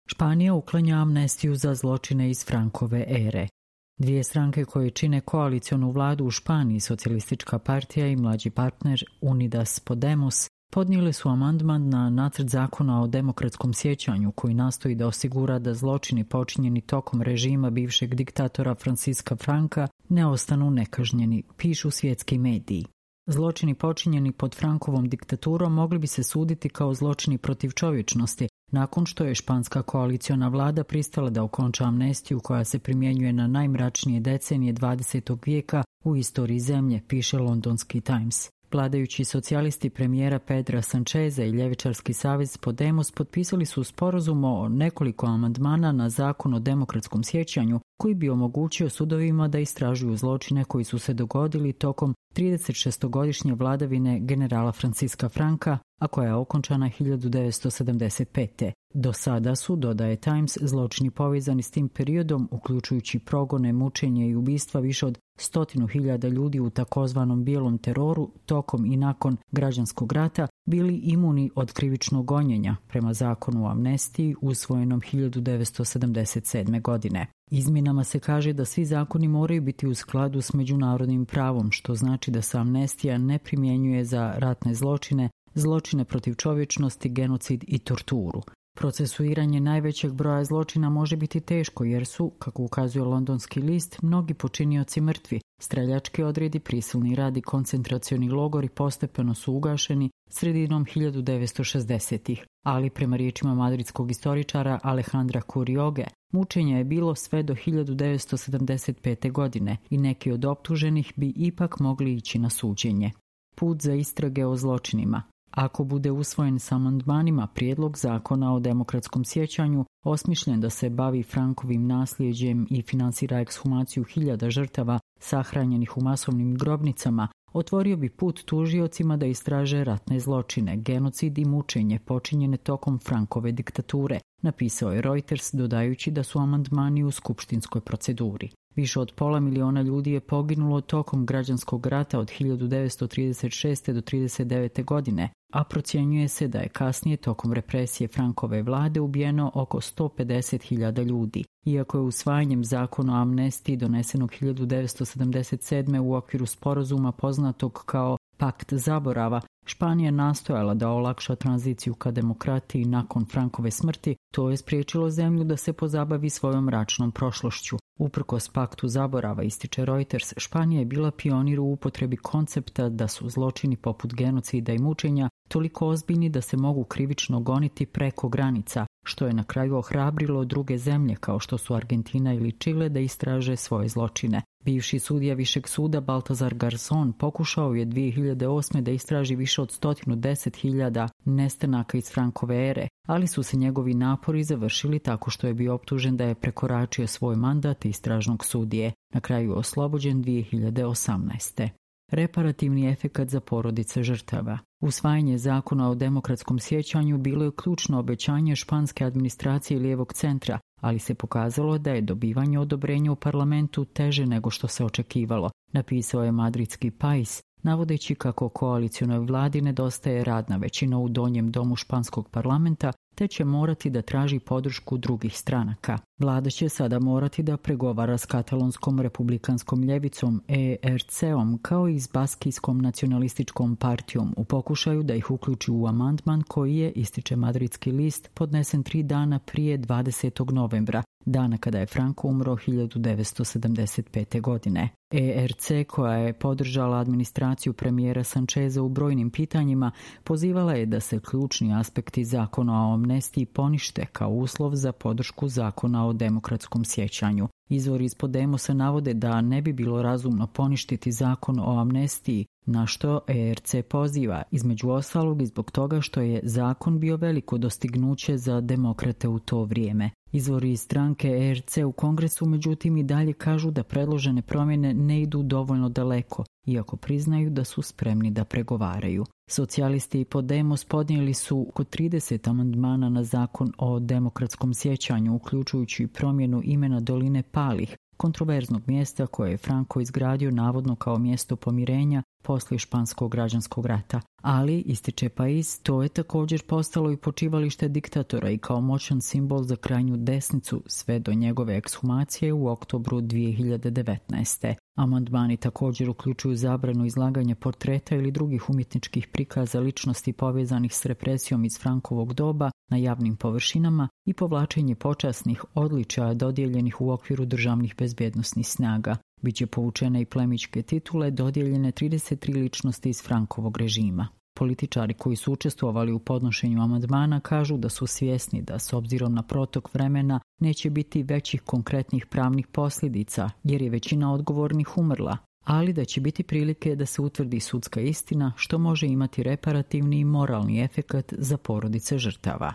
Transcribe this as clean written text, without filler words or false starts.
Španija uklanja amnestiju za zločine iz Frankove ere. Dvije stranke koje čine koalicionu vladu u Španiji, Socijalistička partija i mlađi partner Unidas Podemos, podnijeli su amandman na nacrt zakona o demokratskom sjećanju koji nastoji da osigura da zločini počinjeni tokom režima bivšeg diktatora Francisca Franca ne ostanu nekažnjeni, pišu svjetski mediji. Zločini počinjeni pod Frankovom diktaturom mogli bi se suditi kao zločini protiv čovječnosti, nakon što je španska koaliciona vlada pristala da okonča amnestiju koja se primjenjuje na najmračnije decenije 20. vijeka u istoriji zemlje, piše londonski Times. Vladajući socijalisti premijera Pedra Sancheza i ljevičarski savez Podemos potpisali su sporazum o nekoliko amandmana na zakon o demokratskom sjećanju koji bi omogućio sudovima da istražuju zločine koji su se dogodili tokom 36-godišnje vladavine generala Francisca Franca, a koja je okončana 1975. Do sada su, dodaje Times, zločini povezani s tim periodom, uključujući progone, mučenje i ubistva više od 100.000 ljudi u takozvanom bijelom teroru tokom i nakon građanskog rata, bili imuni od krivičnog gonjenja prema zakonu o amnestiji usvojenom 1977. godine. Izmjenama se kaže da svi zakoni moraju biti u skladu s međunarodnim pravom, što znači da se amnestija ne primjenjuje za ratne zločine, zločine protiv čovječnosti, genocid i torturu. Procesuiranje najvećeg broja zločina može biti teško jer su, kako ukazuje londonski list, mnogi počinioci mrtvi. Streljački odredi, prisilni rad i koncentracioni logori postepeno su ugašeni sredinom 1960-ih, ali prema riječima madridskog istoričara Alejandra Curioge, mučenja je bilo sve do 1975. godine i neki od optuženih bi ipak mogli ići na suđenje. Put za istrage o zločinima. Ako bude usvojen s amandmanima, prijedlog zakona o demokratskom sjećanju, osmišljen da se bavi Frankovim nasljeđem i financira ekshumaciju hiljada žrtava sahranjenih u masovnim grobnicama, otvorio bi put tužiocima da istraže ratne zločine, genocid i mučenje počinjene tokom Frankove diktature, napisao je Reuters dodajući da su amandmani u skupštinskoj proceduri. Više od 500.000 ljudi je poginulo tokom građanskog rata od 1936. do 1939. godine, a procjenjuje se da je kasnije tokom represije Frankove vlade ubijeno oko 150.000 ljudi. Iako je usvajanjem zakona o amnestiji donesenog 1977. u okviru sporazuma poznatog kao Pakt zaborava, Španija nastojala da olakša tranziciju ka demokratiji nakon Frankove smrti, to je spriječilo zemlju da se pozabavi svojom mračnom prošlošću. Uprkos paktu zaborava, ističe Reuters, Španija je bila pionir u upotrebi koncepta da su zločini poput genocida i mučenja toliko ozbiljni da se mogu krivično goniti preko granica, što je na kraju ohrabrilo druge zemlje kao što su Argentina ili Čile da istraže svoje zločine. Bivši sudija Višeg suda Baltazar Garzón pokušao je 2008. da istraži više od 110.000 nestanaka iz Frankove ere, ali su se njegovi napori završili tako što je bio optužen da je prekoračio svoj mandat istražnog sudije. Na kraju je oslobođen 2018. Reparativni efekat za porodice žrtava. Usvajanje zakona o demokratskom sjećanju bilo je ključno obećanje španske administracije lijevog centra, ali se pokazalo da je dobivanje odobrenja u parlamentu teže nego što se očekivalo, napisao je madridski Pais, navodeći kako koalicionoj vladi nedostaje radna većina u donjem domu španskog parlamenta, te će morati da traži podršku drugih stranaka. Vlada će sada morati da pregovara s katalonskom republikanskom ljevicom ERC-om kao i s baskijskom nacionalističkom partijom u pokušaju da ih uključi u amandman koji je, ističe madridski list, podnesen 3 dana prije 20. novembra, dana kada je Franco umro 1975. godine. ERC, koja je podržala administraciju premijera Sancheza u brojnim pitanjima, pozivala je da se ključni aspekti zakona o amnestiji ponište kao uslov za podršku zakona o demokratskom sjećanju. Izvori iz Podemosa navode da ne bi bilo razumno poništiti zakon o amnestiji, na što ERC poziva, između ostalog i zbog toga što je zakon bio veliko dostignuće za demokrate u to vrijeme. Izvori iz stranke ERC u Kongresu međutim i dalje kažu da predložene promjene ne idu dovoljno daleko, iako priznaju da su spremni da pregovaraju. Socijalisti i Podemos podnijeli su oko 30 amandmana na zakon o demokratskom sjećanju, uključujući promjenu imena doline Palih, kontroverznog mjesta koje je Franco izgradio navodno kao mjesto pomirenja poslije španskog građanskog rata. Ali, ističe Pais, to je također postalo i počivalište diktatora i kao moćan simbol za krajnju desnicu sve do njegove ekshumacije u oktobru 2019. Amandmani također uključuju zabranu izlaganja portreta ili drugih umjetničkih prikaza ličnosti povezanih s represijom iz Frankovog doba na javnim površinama i povlačenje počasnih odličaja dodijeljenih u okviru državnih bezbjednosnih snaga. Biće povučene i plemićke titule dodijeljene 33 ličnosti iz Frankovog režima. Političari koji su učestvovali u podnošenju amandmana kažu da su svjesni da s obzirom na protok vremena neće biti većih konkretnih pravnih posljedica jer je većina odgovornih umrla, ali da će biti prilike da se utvrdi sudska istina što može imati reparativni i moralni efekat za porodice žrtava.